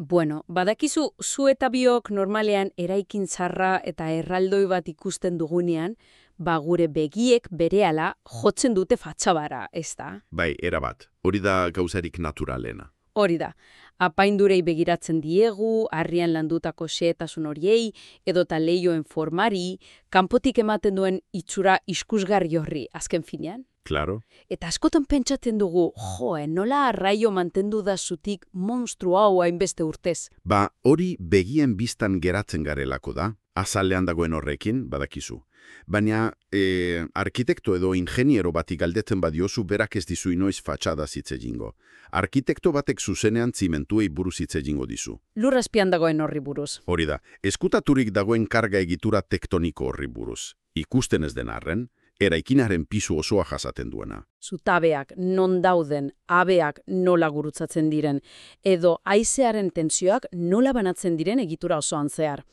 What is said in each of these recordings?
Bueno, badakizu zu eta biok normalean eraikin zarra eta erraldoi bat ikusten dugunean, gure begiek berehala jotzen dute fatxabara, ez da? Bai, erabat. Hori da gauzarik naturalena. Hori da, apaindurei begiratzen diegu, harrian landutako xehetasun horiei, edota leioen formari, kanpotik ematen duen itxura iskusgarri horri, azken finean. Claro. Eta askotan pentsatzen dugu, nola arraio mantendu da zutik monstru hau hainbeste urtez. Hori begien biztan geratzen garelako da, azalean dagoen horrekin, badakizu. Baina, arkitekto edo ingeniero bati galdetzen badiozu berak ez dizu inoiz fatxada hitz egingo. Arkitekto batek zuzenean zimentuei buruz hitz egingo dizu. Lur azpian dagoen horri buruz. Hori da, eskutaturik dagoen karga egitura tektoniko horri buruz. Ikusten ez den arren, eraikinaren pisu osoa jasaten duena. Zutabeak non dauden, abeak nola gurutzatzen diren, edo haizearen tentsioak nola banatzen diren egitura osoan zehar.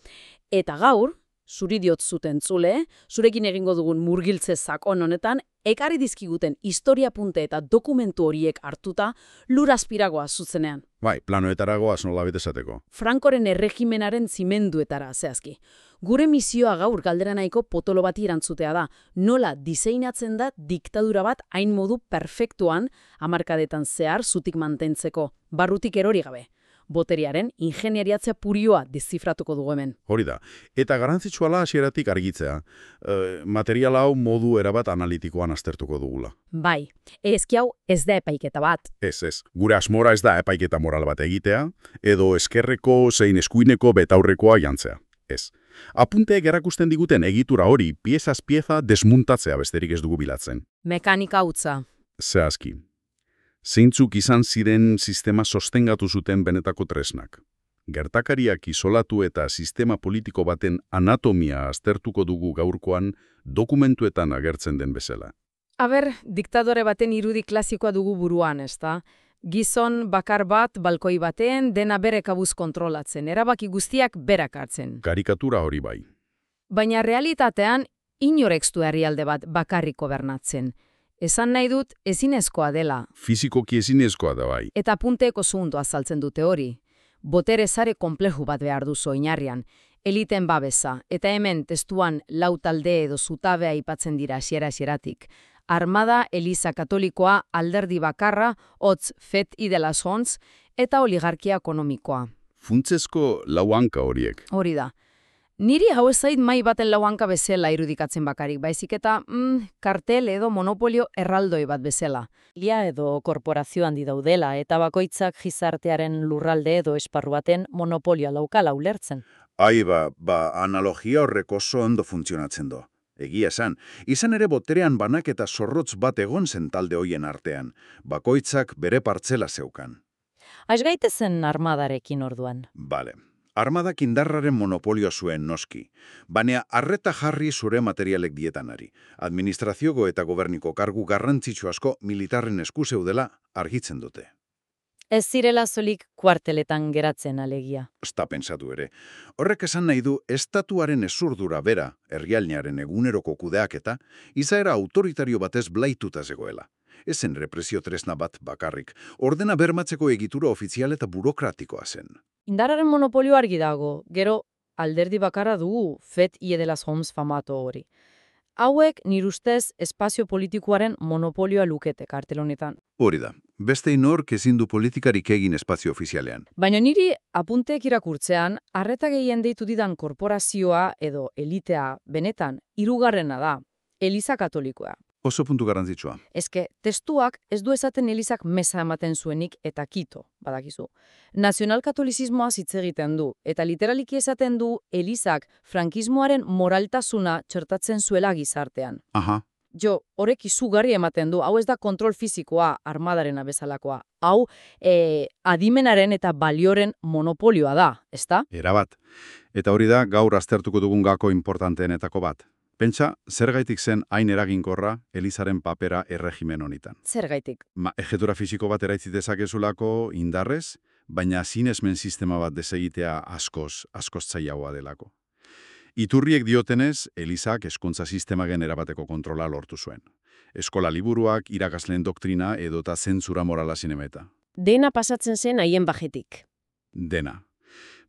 Eta gaur, zuri diot zuten zule, zurekin egingo dugun murgiltze sakon honetan, ekarri dizkiguten historia punte eta dokumentu horiek hartuta lur azpiragoa zuzenean. Bai, planoetaragoaz nolabait esateko. Frankoren erregimenaren zimenduetara zehazki. Gure misioa gaur galdera nahiko potolo bati erantzutea da, nola diseinatzen da diktadura bat hain modu perfektuan hamarkadetan zehar zutik mantentzeko, barrutik erori gabe. Boteriaren ingeniariatzea purioa deszifratuko dugu hemen. Hori da. Eta garrantzitsua hasieratik argitzea. Material hau modu erabat analitikoan aztertuko dugula. Bai, ezki hau ez da epaiketa bat. Ez. Gure asmora ez da epaiketa moral bat egitea, edo eskerreko zein eskuineko betaurrekoa jantzea. Ez. Apunteek erakusten diguten egitura hori piezaz pieza desmuntatzea besterik ez dugu bilatzen. Mekanika hutsa. Zehazki. Zeintzuk izan ziren sistema sostengatu zuten benetako tresnak. Gertakariak isolatu eta sistema politiko baten anatomia aztertuko dugu gaurkoan dokumentuetan agertzen den bezala. Diktadore baten irudi klasikoa dugu buruan, ezta? Gizon bakar bat, balkoi batean, dena bere kabuz kontrolatzen, erabaki guztiak berak hartzen. Karikatura hori bai. Baina realitatean, inorek ez du herrialde bat bakarrik gobernatzen. Esan nahi dut, ezinezkoa dela. Fizikoki ezinezkoa da bai. Eta punteeko zundu azaltzen dute hori. Botere sare konpleju bat behar duzu oinarrian. Eliten babesa, eta hemen testuan lau talde edo zutabea aipatzen dira hasiera-hasieratik. Armada, Eliza Katolikoa, alderdi bakarra, hotz fet idelas hontz, eta oligarkia ekonomikoa. Funtsezko lau hanka horiek. Hori da. Niri hau ez zait mai baten lau hanka bezala irudikatzen bakarik, baizik eta kartel edo monopolio erraldoi bat bezala. Ia edo korporazio handi daudela, eta bakoitzak gizartearen lurralde edo esparru baten monopolioa laukala ulertzen. Analogia horrek oso ondo funtzionatzen do. Egia esan, izan ere boterean banak eta zorrotz bat egon zen talde hoien artean. Bakoitzak bere partzela zeukan. Aiz gaitezen armadarekin orduan. Bale. Armadak indarraren monopolio zuen noski, baina arreta jarri zure materialek dietanari. Administrazioko eta goberniko kargu garrantzitsu asko militarren esku zeudela argitzen dute. Ez zirela solik kuarteletan geratzen alegia. Esta pentsatu ere. Horrek esan nahi du estatuaren ezurdura bera, herrialdearen eguneroko kudeaketa, izaera autoritario batez blaituta zegoela. Ezen represio tresna bat bakarrik, ordena bermatzeko egitura ofizial eta burokratikoa zen. Indarraren monopolio argi dago, gero alderdi bakarra dugu fet iedelas homs famato hori. Hauek nire ustez espazio politikoaren monopolioa lukete kartel honetan. Hori da, beste inork ezin du politikarik egin espazio ofizialean. Baina niri apunteek irakurtzean, arreta gehien deitu didan korporazioa edo elitea benetan hirugarrena da, Eliza Katolikoa. Oso puntu garrantzitsua. Eske, testuak ez du esaten Elizak meza ematen zuenik eta kito, badakizu. Nazionalkatolizismoa hitz egiten du, eta literaliki esaten du Elizak frankismoaren moraltasuna txertatzen zuela gizartean. Aha. Jo, horrek izugarri ematen du, hau ez da kontrol fisikoa armadarena bezalakoa. Hau, adimenaren eta balioren monopolioa da, ezta? Erabat. Eta hori da gaur aztertuko dugun gako importanteenetako bat. Pentsa, zergaitik zen hain eraginkorra Elizaren papera erregimen honetan. Zergaitik? Ejetura fisiko bat eraitzi dezakezulako indarrez, baina sinesmen sistema bat desegitea askoz zailagoa delako. Iturriek diotenez, Elizak hezkuntza sistemagen erabateko kontrola lortu zuen. Eskola liburuak, irakasleen doktrina edota zentzura morala zinemeta. Dena pasatzen zen haien bajetik. Dena.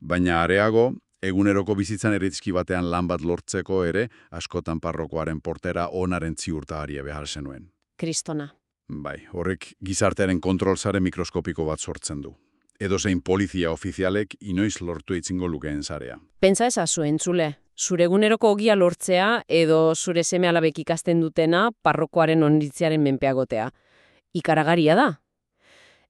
Baina areago, eguneroko bizitzan eritzki batean lan bat lortzeko ere, askotan parrokoaren portera onaren ziurtaharia behar zenuen. Kristona. Bai, horrek gizartearen kontrolsare mikroskopiko bat sortzen du. Edozein polizia ofizialek inoiz lortu itzingo lukeen zarea. Pentsa ezazu entzule, zure eguneroko ogia lortzea edo zure seme-alabek ikasten dutena parrokoaren onritziaren menpeagotea. Ikaragarria da.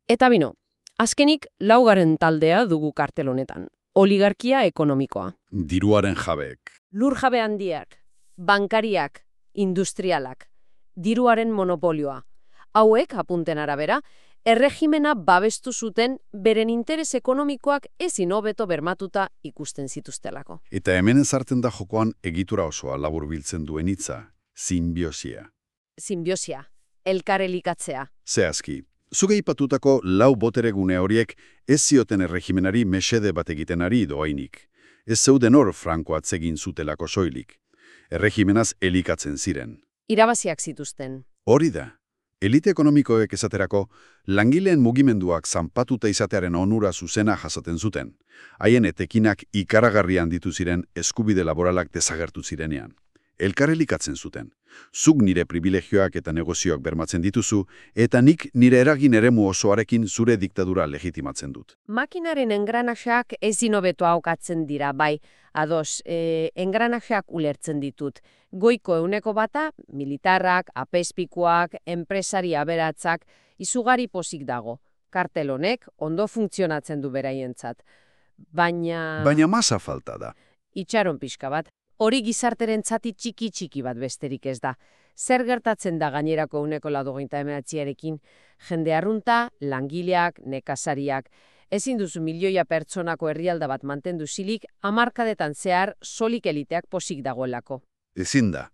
Eta bino, azkenik laugarren taldea dugu kartel honetan. Oligarkia ekonomikoa. Diruaren jabeek. Lur jabe handiak, bankariak, industrialak, diruaren monopolioa. Hauek, apunten arabera, erregimena babestu zuten beren interes ekonomikoak ezin hobeto bermatuta ikusten zituztelako. Eta hemen ezartzen da jokoan egitura osoa laburbiltzen duen hitza, sinbiosia. Sinbiosia, elkarelikatzea. Zehazki, zuge aipatutako lau boteregune horiek ez zioten erregimenari mesede bat egiten ari doainik. Ez zeuden hor Franko atzegin zutelako soilik. Erregimenaz elikatzen ziren. Irabaziak zituzten. Hori da. Elite ekonomikoek esaterako, langileen mugimenduak zanpatuta izatearen onura zuzena jasaten zuten. Haien etekinak ikaragarrian ditu ziren eskubide laboralak desagertu zirenean. Elkarelikatzen zuten. Zuk nire privilegioak eta negozioak bermatzen dituzu, eta nik nire eragin eremu osoarekin zure diktadura legitimatzen dut. Makinaren engranaxeak ezin hobeto aukatzen dira, bai. Ados, engranaxeak ulertzen ditut. Goiko 100%, militarrak, apezpikuak, enpresari aberatzak, izugarri pozik dago. Kartel honek ondo funtzionatzen du beraientzat. Baina... Baina masa falta da. Itxaron pixka bat. Hori gizarteren zati txiki bat besterik ez da. Zer gertatzen da gainerako 129arekin? Jende arrunta, langileak, nekazariak. Ezin duzu milioia pertsonako herrialda bat mantendu zilik, hamarkadetan zehar solik eliteak posik dagoelako. Ezin da.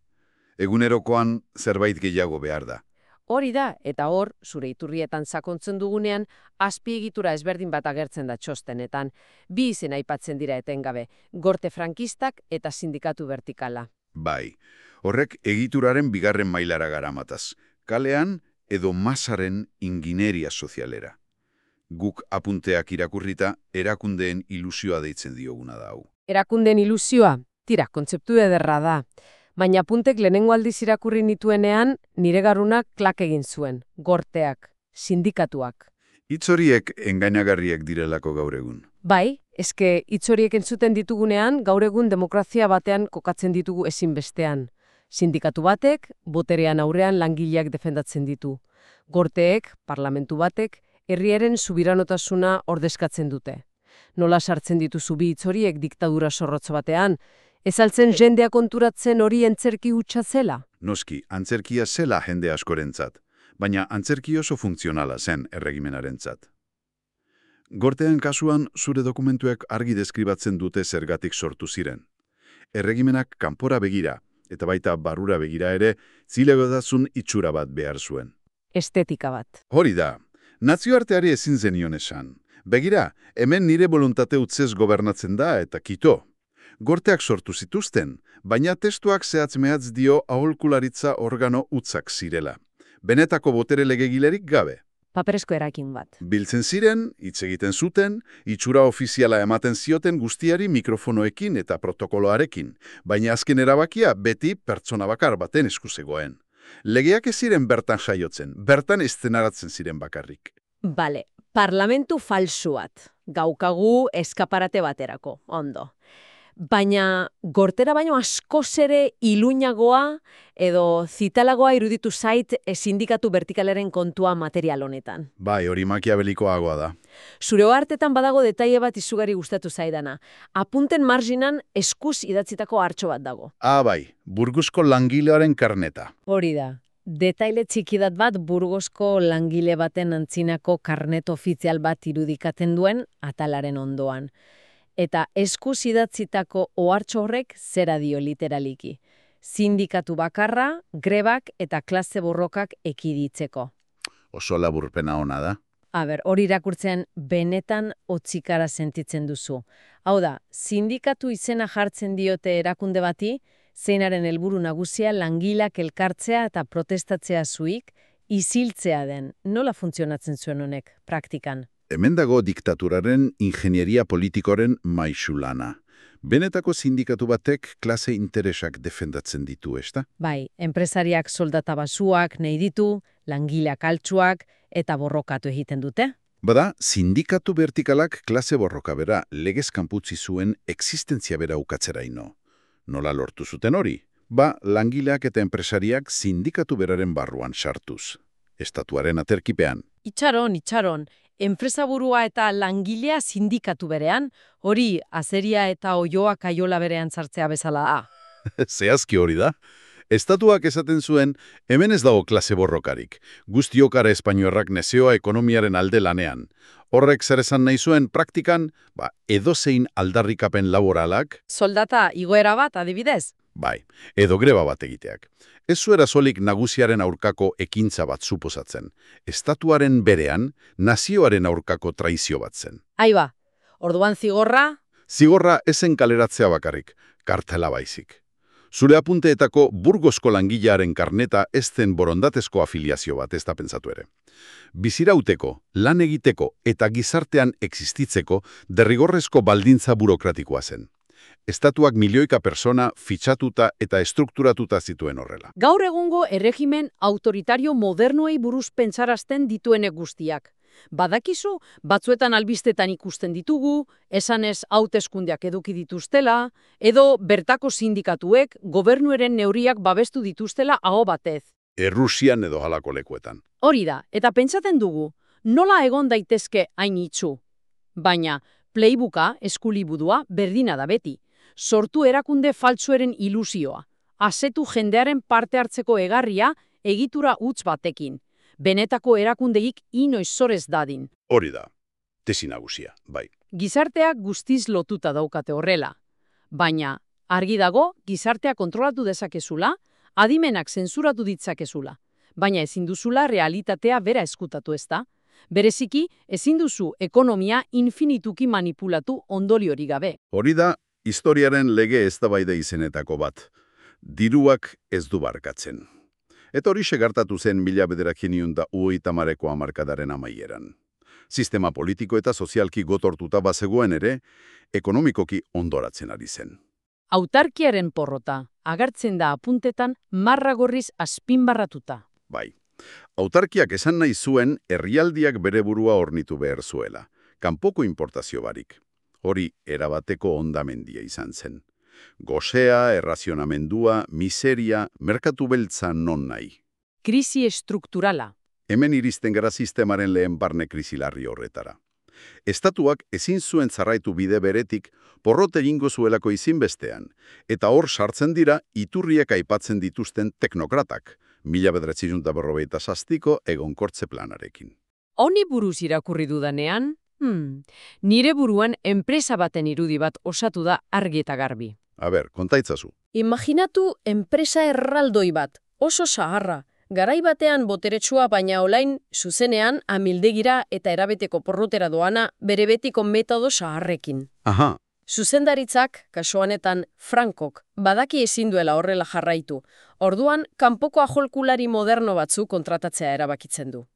Egunerokoan zerbait gehiago behar da. Hori da, eta hor, zure iturrietan sakontzen dugunean, azpiegitura ezberdin bat agertzen da txostenetan. Bi izen aipatzen dira etengabe, gorte frankistak eta sindikatu vertikala. Bai, horrek egituraren bigarren mailara garamataz. Kalean edo masaren ingineria sozialera. Guk apunteak irakurrita, erakundeen ilusioa deitzen dioguna da hau. Erakundeen ilusioa? Tira, kontzeptu ederra da. Baina apuntek lehenengo aldiz irakurri nituenean, nire garunak klak egin zuen. Gorteak, sindikatuak. Hitz horiek engainagarriek direlako gaur egun. Bai, eske hitz horiek entzuten ditugunean, gaur egun demokrazia batean kokatzen ditugu ezinbestean. Sindikatu batek, boterean aurrean langileak defendatzen ditu. Gorteek, parlamentu batek, herriaren subiranotasuna ordezkatzen dute. Nola sartzen dituzu bi hitz horiek diktadura zorrotz batean? Ez altzen jendea konturatzen hori antzerki hutsa zela? Noski, antzerkia zela jende askorentzat, baina antzerki oso funtzionala zen erregimenarentzat. Gorteen kasuan zure dokumentuek argi deskribatzen dute zergatik sortu ziren. Erregimenak kanpora begira, eta baita barrura begira ere, zilegodazun itxura bat behar zuen. Estetika bat. Hori da, nazioarteari ezin zenion esan. Begira, hemen nire boluntate utzez gobernatzen da eta kito. Gorteak sortu zituzten, baina testuak zehatz-mehatz dio aholkularitza organo utzak zirela. Benetako botere legegilerik gabe. Paperezko erakin bat. Biltzen ziren, hitz egiten zuten, itxura ofiziala ematen zioten guztiari mikrofonoekin eta protokoloarekin, baina azken erabakia beti pertsona bakar baten esku zegoen. Legeak ez ziren bertan saiotzen, bertan eszenaratzen ziren bakarrik. Bale, parlamentu falsu bat. Gaukagu eskaparate baterako, ondo. Baina gortera baino askoz ere iluinagoa edo zitalagoa iruditu zait sindikatu vertikalaren kontua material honetan. Bai, hori makiabelikoagoa da. Zure ohartetan badago detaile bat izugarri gustatu zaidana. Apunten marginan eskuz idatzitako hartxo bat dago. Bai, Burgosko langilearen karneta. Hori da. Detaile txikidat bat Burgosko langile baten antzinako karnet ofizial bat irudikatzen duen atalaren ondoan. Eta eskuz idatzitako ohartxo horrek zera dio literaliki. Sindikatu bakarra, grebak eta klase borrokak ekiditzeko. Oso laburpena ona da. Hori irakurtzean benetan hotzikara sentitzen duzu. Hau da, sindikatu izena jartzen diote erakunde bati, zeinaren helburu nagusia langilak elkartzea eta protestatzea zuik, isiltzea den. Nola funtzionatzen zuen honek, praktikan? hemen dago diktaturaren ingenieria politikoren maixulana. Benetako sindikatu batek klase interesak defendatzen ditu, ezta? Bai, enpresariak soldata basuak nahi ditu, langileak altsuak eta borrokatu egiten dute. Bada, sindikatu vertikalak klase borroka bera legez kanputzi zuen existentzia bera ukatzeraino. Nola lortu zuten hori? Langileak eta enpresariak sindikatu beraren barruan sartuz. Estatuaren aterkipean. Itxaron, enpresaburua eta langilea sindikatu berean, hori azeria eta oioa kaiola berean sartzea bezala da. Zehazki hori da. Estatuak esaten zuen, hemen ez dago klase borrokarik. Guztiokara espainoarrak nezioa ekonomiaren alde lanean. Horrek zer esan nahi zuen praktikan, edozein aldarrikapen laboralak, Soldata igoera bat adibidez? Edo greba bat egiteak. Ez zuera solik nagusiaren aurkako ekintza bat suposatzen. Estatuaren berean, nazioaren aurkako traizio bat zen. Aiba, orduan zigorra? Zigorra ezen kaleratzea bakarrik, kartela baizik. Zure apunteetako Burgosko langilearen karneta ez zen borondatezko afiliazio bat, ez da pentsatu ere. Bizirauteko, lan egiteko eta gizartean existitzeko derrigorrezko baldintza burokratikoa zen. Estatuak milioika persona fitxatuta eta estrukturatuta zituen horrela. Gaur egungo erregimen autoritario modernoei buruz pentsarazten dituenek guztiak. Badakizu, batzuetan albistetan ikusten ditugu, esanez hauteskundeak eduki dituztela, edo bertako sindikatuek gobernuaren neurriak babestu dituztela aho batez. Errusian edo halako lekuetan. Hori da, eta pentsatzen dugu, nola egon daitezke hain itxu. Baina, playbooka, eskulibudua, berdina da beti. Sortu erakunde faltsueren ilusioa. Asetu jendearen parte hartzeko egarria egitura huts batekin. Benetako erakundeik inoiz zorez dadin. Hori da, tesi nagusia, bai. Gizarteak guztiz lotuta daukate horrela. Baina, argi dago, gizartea kontrolatu dezakezula, adimenak zentsuratu ditzakezula. Baina ezin duzula realitatea bera eskutatu ezta. Bereziki, ezin duzu ekonomia infinituki manipulatu ondoriorik gabe. Hori da, historiaren lege eztabaida izenetako bat. Diruak ez du barkatzen. Eta hori segartatu zen 1930ko hamarkadaren amaieran. Sistema politiko eta sozialki gotortuta bazegoen ere, ekonomikoki ondoratzen ari zen. Autarkiaren porrota, agertzen da apuntetan marra gorriz azpimarratuta. Bai, autarkiak esan nahi zuen herrialdiak bere burua hornitu behar zuela. Kanpoko importazio barik. Hori erabateko hondamendia izan zen. Gosea, errazionamendua, miseria, merkatu beltza non nahi. Krisi estrukturala. Hemen iristen gara sistemaren lehen barne krisi larri horretara. Estatuak ezin zuen zarraitu bide beretik porrot egingo zuelako izinbestean, eta hor sartzen dira iturriek aipatzen dituzten teknokratak, 1947ko egonkortze planarekin. Honi buruz irakurri dudanean, nire buruan enpresa baten irudi bat osatu da argi eta garbi. Kontaitzazu. Imaginatu enpresa erraldoi bat, oso zaharra, garai batean boteretsua baina olain zuzenean amildegira eta erabeteko porrotera doana bere betiko metodo zaharrekin. Aha. Zuzendaritzak, kasu honetan Frankok, badaki ezin duela horrela jarraitu. Orduan, kanpoko aholkulari moderno batzu kontratatzea erabakitzen du.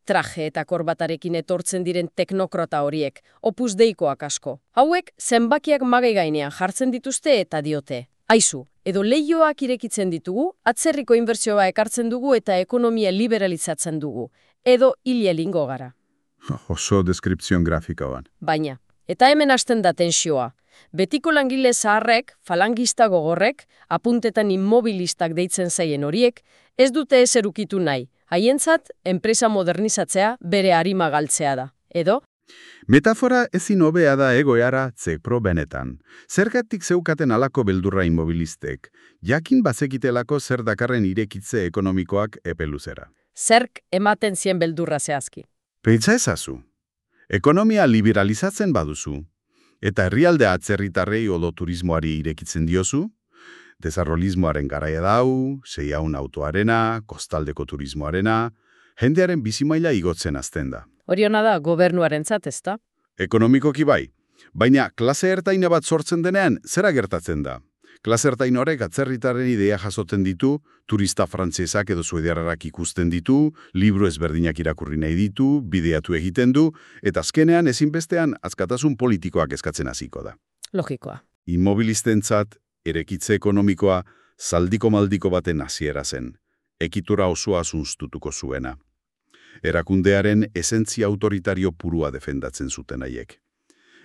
Traje eta korbatarekin etortzen diren teknokrata horiek, opus deikoak asko. Hauek, zenbakiak magai gainean jartzen dituzte eta diote. Aizu, edo leihoak irekitzen ditugu, atzerriko inbertsioa ekartzen dugu eta ekonomia liberalizatzen dugu. Edo hil egingo gara. Oso deskripzion grafikoan. Baina, eta hemen hasten da tensioa. Betiko langile zaharrek, falangista gogorrek, apuntetan immobilistak deitzen zaien horiek, ez dute ezer ukitu nahi. Haientzat, enpresa modernizatzea bere arima galtzea da. Edo? Metafora ezin hobea da egoera zepro benetan. Zergatik zeukaten alako beldurra immobilistek, jakin bazekitelako zer dakarren irekitze ekonomikoak epeluzera. Zerk ematen zien beldurra zehazki. Pentsa ezazu. Ekonomia liberalizatzen baduzu, eta herrialde atzerritarrei odo turismoari irekitzen diozu, desarrollismoaren garaia dau, seiaun autoarena, kostaldeko turismoarena, jendearen bizimaila igotzen azten da. Horiona da gobernuarentzat, ezta? Ekonomikoki bai, baina klase ertaina bat sortzen denean zera gertatzen da. Klasertain horrek atzerritaren idea jasoten ditu, turista frantsesak edo suediarrak ikusten ditu, libro ezberdinak irakurri nahi ditu, bideatu egiten du, eta azkenean ezinbestean askatasun politikoak eskatzen hasiko da. Logikoa. Inmobilistentzat, erekitze ekonomikoa, zaldiko maldiko baten hasiera zen, ekitura osoa zunztutuko zuena. Erakundearen esentzia autoritario purua defendatzen zuten haiek.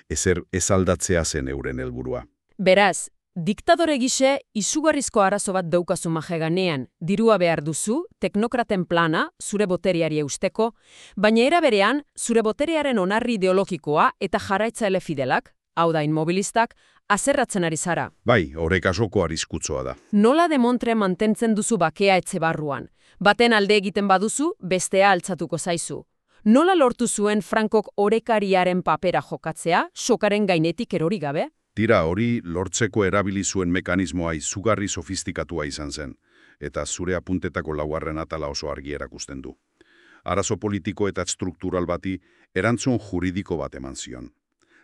Ezer ez aldatzea zen euren helburua. Beraz, diktadore gise izugarrizko arazo bat daukazu majeganean, dirua behar duzu, teknokraten plana, zure boteriari eusteko, baina era berean, zure boteriaren onarri ideologikoa eta jarraitzaile fidelak, hau da inmobilistak, azerratzen ari zara. Bai, horrek asoko arriskutsoa da. Nola demontre mantentzen duzu bakea etxe barruan? Baten alde egiten baduzu, bestea altzatuko zaizu. Nola lortu zuen Frankok orekariaren papera jokatzea, sokaren gainetik erori gabe? Tira, hori lortzeko erabili zuen mekanismoa izugarri sofistikatua izan zen, eta zure apuntetako laugarren atala oso argi erakusten du. Arazo politiko eta struktural bati erantzun juridiko bat eman zion.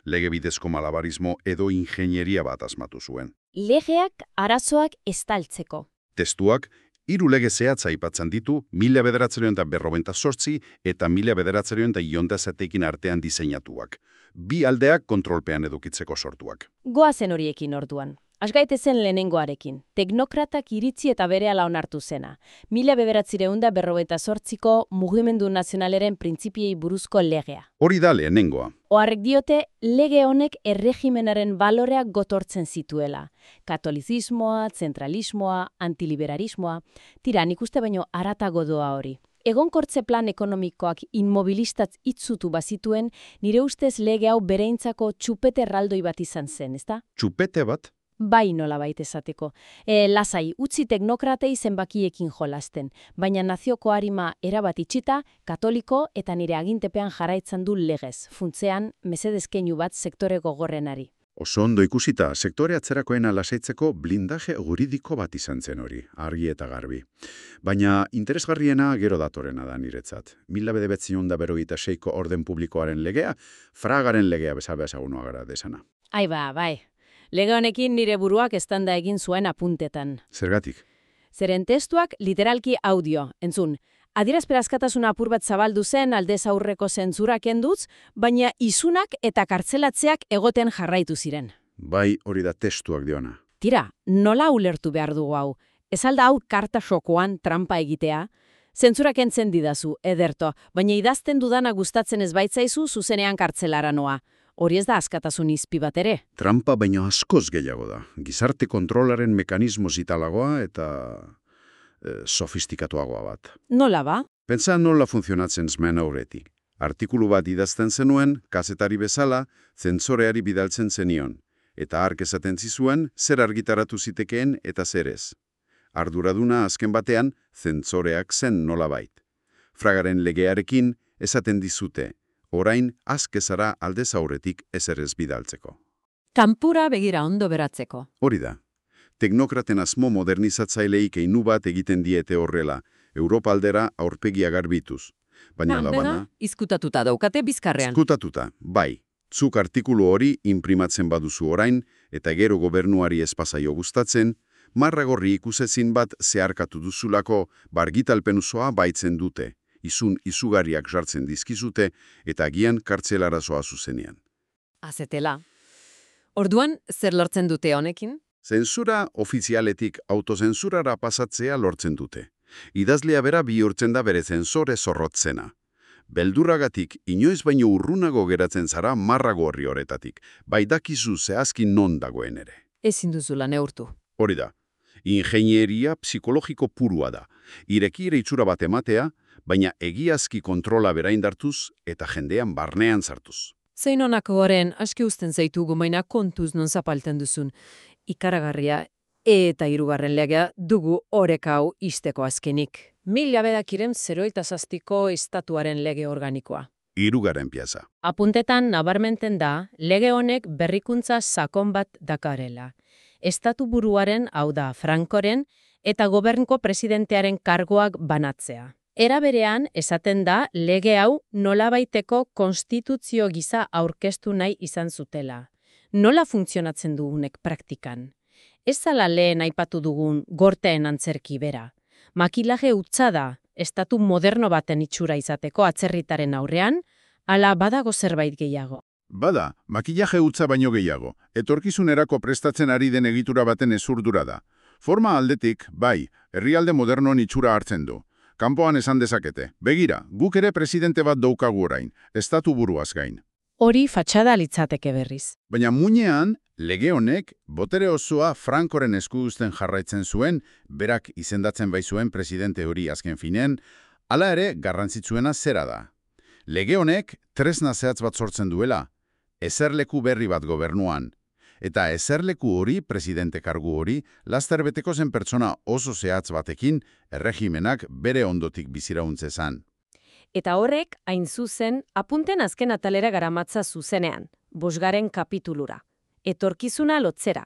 Lege bidezko malabarismo edo ingenieria bat asmatu zuen. Legeak arazoak estaltzeko. Testuak, 3 lege zehatz aipatzen ditu 1958 eta 1957 artean diseinatuak. Bi aldeak kontrolpean edukitzeko sortuak. Goazen horiekin orduan. Asgaitezen lehenengoarekin. Teknokratak iritzi eta berehala onartu zena. 1958ko mugimendu nazionaleren printzipiei buruzko legea. Hori da lehenengoa. Oharrek diote, lege honek erregimenaren baloreak gotortzen zituela. Katolizismoa, zentralismoa, antiliberalismoa. Tira, nik uste baino haratago doa hori. Egonkortze plan ekonomikoak inmobilistaz itzutu bazituen, nire ustez lege hau bereintzako txupete erraldoi bat izan zen, ezta? Txupete bat? Bai nolabait esateko. Lasai, utzi teknokratei zenbakiekin jolasten, baina nazioko arima erabat itxita, katoliko eta nire agintepean jarraitzen du legez, funtzean mesedezkeinu bat sektore gogorrenari. Oso ondo ikusita, sektore atzerakoena lasaitzeko blindaje juridiko bat izan zen hori, argi eta garbi. Baina interesgarriena gero datorena da niretzat. 1996ko orden publikoaren legea, Fragaren legea bezala ezagunua gara desana. Ai ba, bai. Lege honekin nire buruak eztanda egin zuen apuntetan. Zergatik? Zeren testuak literalki audio, entzun. Adierazpen askatasuna apur bat zabaldu zen aldez aurreko zentzura kenduz, baina isunak eta kartzelatzeak egoten jarraitu ziren. Bai, hori da testuak diona. Tira, nola ulertu behar dugu hau? Ez alda hau karta xokoan trampa egitea? Zentzura kentzen didazu, ederto, baina idazten dudana gustatzen ez baitzaizu zuzenean kartzelara noa. Hori ez da askatasun izpi bat ere. Trampa baino askoz gehiago da. Gizarte kontrolaren mekanismo zitalagoa eta sofistikatuagoa bat. Nola ba? Pentsa nola funtzionatzen zmen aurretik. Artikulu bat idazten zenuen, kazetari bezala, zentzoreari bidaltzen zenion. Eta hark esaten zizuen, zer argitaratu zitekeen eta zer ez. Arduraduna azken batean, zentzoreak zen nolabait. Fragaren legearekin esaten dizute, orain azkezara aldez aurretik ezer ez bidaltzeko. Kanpura begira ondo beratzeko. Hori da. Teknokraten asmo modernizatzaileik einu bat egiten diete horrela, Europa aldera aurpegia garbituz. Baina labana... Izkutatuta daukate bizkarrean. Izkutatuta, bai. Zuk artikulu hori imprimatzen baduzu orain, eta gero gobernuari espazaio gustatzen, marragorri ikusezin bat zeharkatu duzulako bargitalpen osoa baitzen dute, izun izugarriak jartzen dizkizute, eta agian kartzelarazoa zuzenean. Azetela. Orduan, zer lortzen dute honekin? Zentsura ofizialetik autozentzurara pasatzea lortzen dute. Idazlea bera bihurtzen da bere zentzore zorrotzena. Beldurragatik inoiz baino urrunago geratzen zara marrago horri horretatik, bai dakizu zehazki non dagoen ere. Ezin duzula neurtu. Hori da, ingenieria psikologiko purua da. Irekire itxura bat ematea, baina egiazki kontrola bera indartuz eta jendean barnean sartuz. Zein honako goren, aski uzten zaitu gomaina kontuz non zapalten duzun. Ikaragarria eta 3. legea dugu orekau isteko azkenik. 1907ko estatuaren lege organikoa. 3. pieza. Apuntetan nabarmenten da, lege honek berrikuntza sakon bat dakarela. Estatu buruaren, hau da, Frankoren, eta gobernko presidentearen kargoak banatzea. Era berean, esaten da, lege hau nolabaiteko konstituzio gisa aurkeztu nahi izan zutela. Nola funtzionatzen du honek praktikan? Ez zala lehen aipatu dugun gorteen antzerki bera. Makilaje hutsa da, estatu moderno baten itxura izateko atzerritaren aurrean, ala badago zerbait gehiago. Bada, makillaje hutsa baino gehiago. Etorkizunerako prestatzen ari den egitura baten ezurdura da. Forma aldetik, bai, herrialde modernoan itxura hartzen du. Kanpoan esan dezakete. Begira, guk ere presidente bat daukagu orain, estatu buruaz gain. Hori fatxada litzateke berriz. Baina muinean, lege honek, botere osoa Frankoren esku uzten jarraitzen zuen, berak izendatzen baizuen presidente hori azken finean, hala ere garrantzitsuena zera da. Lege honek tresna zehatz bat sortzen duela, eserleku berri bat gobernuan. Eta eserleku hori, presidente kargu hori, laster beteko zen pertsona oso zehatz batekin, erregimenak bere ondotik bizirauntze zan. Eta horrek, hain zuzen, apunten azken atalera garamatza zuzenean, 5. kapitulura. Etorkizuna lotzera.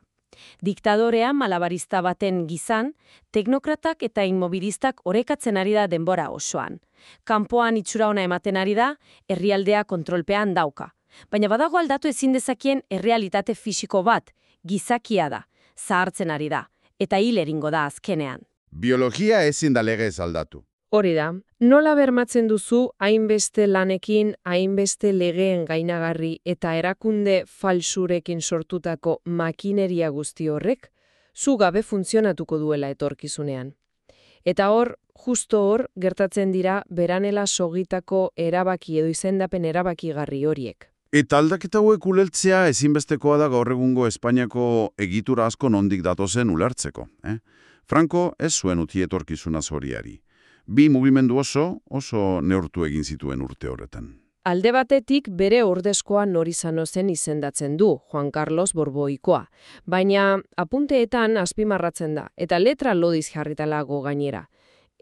Diktadorea malabarista baten gizan, teknokratak eta inmobilistak orekatzen ari da denbora osoan. Kanpoan itxura ona ematen ari da, herrialdea kontrolpean dauka. Baina badago aldatu ezin dezakien errealitate fisiko bat, gizakia da, zahartzen ari da, eta hil eringo da azkenean. Biologia ezin da legez aldatu. Hori da, nola bermatzen duzu hainbeste lanekin, hainbeste legeen gainagarri eta erakunde falsurekin sortutako makineria guzti horrek, zu gabe funtzionatuko duela etorkizunean. Eta hor, justo hor, gertatzen dira beranela sogitako erabaki edo izendapen erabakigarri horiek. Eta aldaketa hauek ulertzea ezinbestekoa da gaur egungo Espainiako egitura asko nondik datozen ulertzeko. Franco ez zuen uti etorkizuna zoriari. Bi mugimendu oso neurtu egin zituen urte horretan. Alde batetik bere ordezkoa nor izano zen izendatzen du, Juan Carlos Borboikoa. Baina apunteetan azpimarratzen da, eta letra lodiz jarritalago gainera.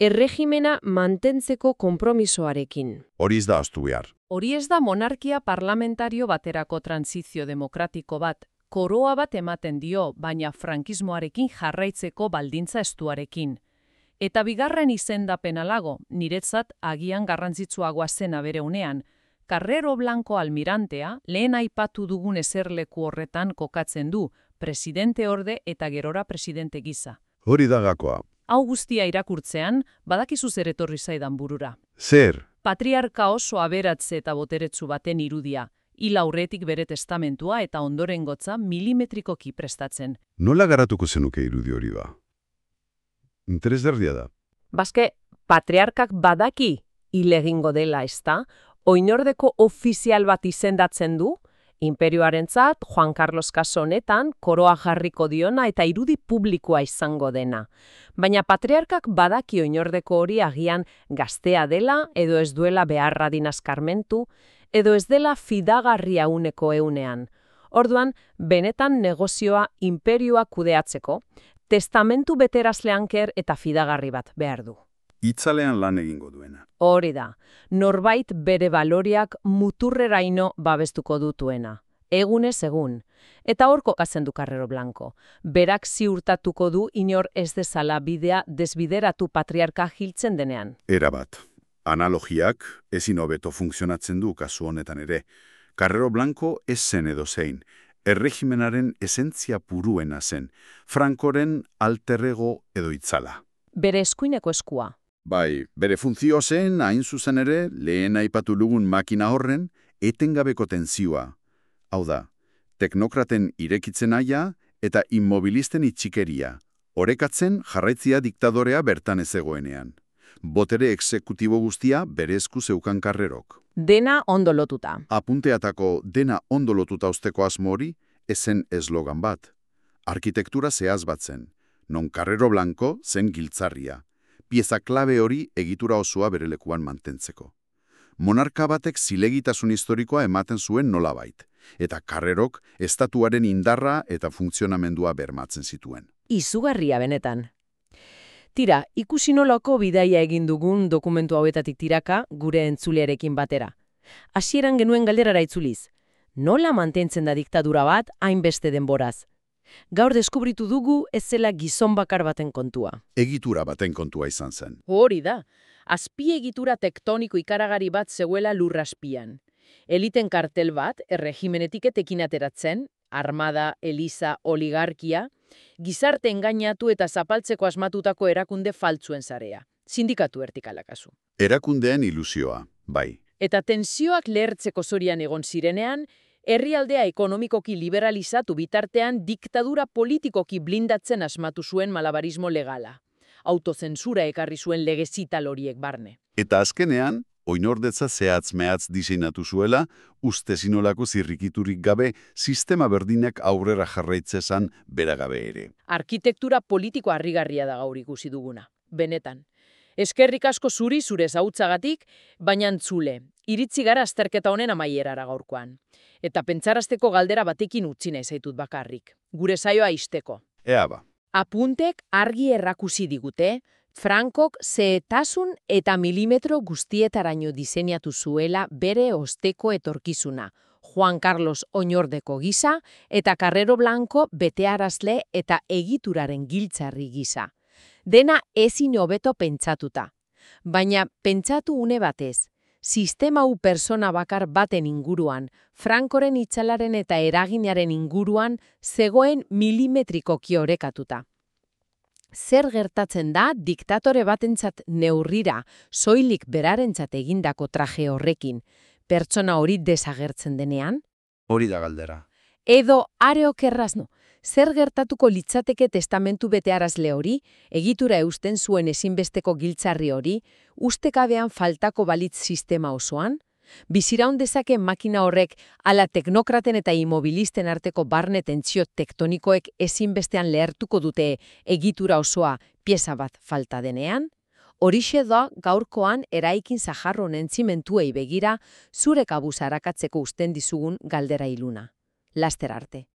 Erregimena mantentzeko konpromisoarekin. Hori ez da ahaztu behar. Hori ez da monarkia parlamentario baterako transizio demokratiko bat, koroa bat ematen dio, baina frankismoarekin jarraitzeko baldintza estuarekin. Eta bigarren izendapen alago, niretzat agian garrantzitsuagoa zena bere unean, Carrero Blanco almirantea lehen aipatu dugun eserleku horretan kokatzen du, presidente orde eta gerora presidente gisa. Hori da gakoa. Hau guztia irakurtzean, badakizu zer etorri zaidan burura. Zer? Patriarka oso aberatze eta boteretsu baten irudia, hil aurretik bere testamentua eta ondorengotza milimetrikoki prestatzen. Nola garatuko zenuke irudi hori ba? Interesgarria da. Baske, patriarkak badaki hil egingo dela, ezta? Oinordeko ofizial bat izendatzen du, imperioarentzat Juan Carlos kasu honetan koroa jarriko diona eta irudi publikoa izango dena. Baina patriarkak badaki oinordeko hori agian gaztea dela edo ez duela beharra dinazkarmentu, edo ez dela fidagarria uneko eunean. Orduan, benetan negozioa imperioa kudeatzeko, testamentu beterazleanker eta fidagarri bat behar du. Itzalean lan egingo duena. Hori da, norbait bere baloriak muturreraino babestuko dutuena. Egunez egun. Eta hor kokatzen du Carrero Blanco. Berak ziurtatuko du inor ez dezala bidea desbideratu patriarka hiltzen denean. Erabat. Analogiak ezin hobeto funtzionatzen du kasu honetan ere. Carrero Blanco ez zen edozein. Erregimenaren esentzia puruena zen. Frankoren alterrego edo itzala. Bere eskuineko eskua. Bai, bere funtzio zen, hain zuzen ere, lehen aipatu lugun makina horren, etengabeko tenzioa. Hau da, teknokraten irekitzen aia eta immobilisten itxikeria. Orekatzen jarraitzia diktadorea bertan ez egoenean. Botere exekutibo guztia bere esku zeukan Carrerok. Dena ondo lotuta. Apunteatako dena ondo lotuta usteko asmo hori ezen eslogan bat. Arkitektura zehaz bat zen, non Carrero Blanco zen giltzarria. Pieza klabe hori egitura osoa bere lekuan mantentzeko. Monarka batek zilegitasun historikoa ematen zuen nolabait, eta Carrerok estatuaren indarra eta funtzionamendua bermatzen zituen. Izugarria benetan. Tira, ikusi nolako bidaia egin dugun dokumentu hauetatik tiraka gure entzulearekin batera. Hasieran genuen galderara itzuliz. Nola mantentzen da diktadura bat hainbeste denboraz? Gaur deskubritu dugu ez zela gizon bakar baten kontua. Egitura baten kontua izan zen. Hori da, azpiegitura tektoniko ikaragari bat zeuela lurraspian. Eliten kartel bat erregimenetik etekin ateratzen, armada, eliza, oligarkia, Gizarte engainatu eta zapaltzeko asmatutako erakunde faltzuen sarea. Sindikatu vertikala kasu. Erakundeen ilusioa, bai. Eta tensioak lehertzeko zorian egon zirenean, herrialdea ekonomikoki liberalizatu bitartean diktadura politikoki blindatzen asmatu zuen malabarismo legala. Autozentsura ekarri zuen lege zital horiek barne. Eta azkenean, oinordetza zehatz-mehatz diseinatu zuela, ustezinolako zirrikiturik gabe, sistema berdinak aurrera jarraitzezan beragabe ere. Arkitektura politiko harrigarria da gaur ikusi duguna. Benetan. Eskerrik asko zuri zure zautzagatik, baina entzule. Iritzi gara azterketa honen amaierara gaurkoan. Eta pentsarazteko galdera batekin utzi nahi zaitut bakarrik. Gure saioa ixteko. Ea ba. Apuntek argi errakusi digute, Frankok zehetasun eta milimetro guztietaraino diseinatu zuela bere osteko etorkizuna, Juan Carlos Oñordeko gisa eta Carrero Blanco betearazle eta egituraren giltzarri gisa. Dena ezin hobeto pentsatuta. Baina pentsatu une batez, sistema hau pertsona bakar baten inguruan, Frankoren itzalaren eta eraginaren inguruan zegoen milimetrikoki orekatuta. Zer gertatzen da diktatore batentzat neurrira, soilik berarentzat egindako traje horrekin, pertsona hori desagertzen denean? Hori da galdera. Edo are okerrazno, zer gertatuko litzateke testamentu betearazle hori, egitura eusten zuen ezinbesteko giltzarri hori, ustekabean faltako balitz sistema osoan? Biziraun dezake makina horrek ala teknokraten eta immobilisten arteko barne tentsio tektonikoek ezinbestean lehertuko dute egitura osoa pieza bat falta denean? Horixe da gaurkoan eraikin zaharro honen zimentuei begira zure kabuz arakatzeko usten dizugun galdera iluna. Laster arte.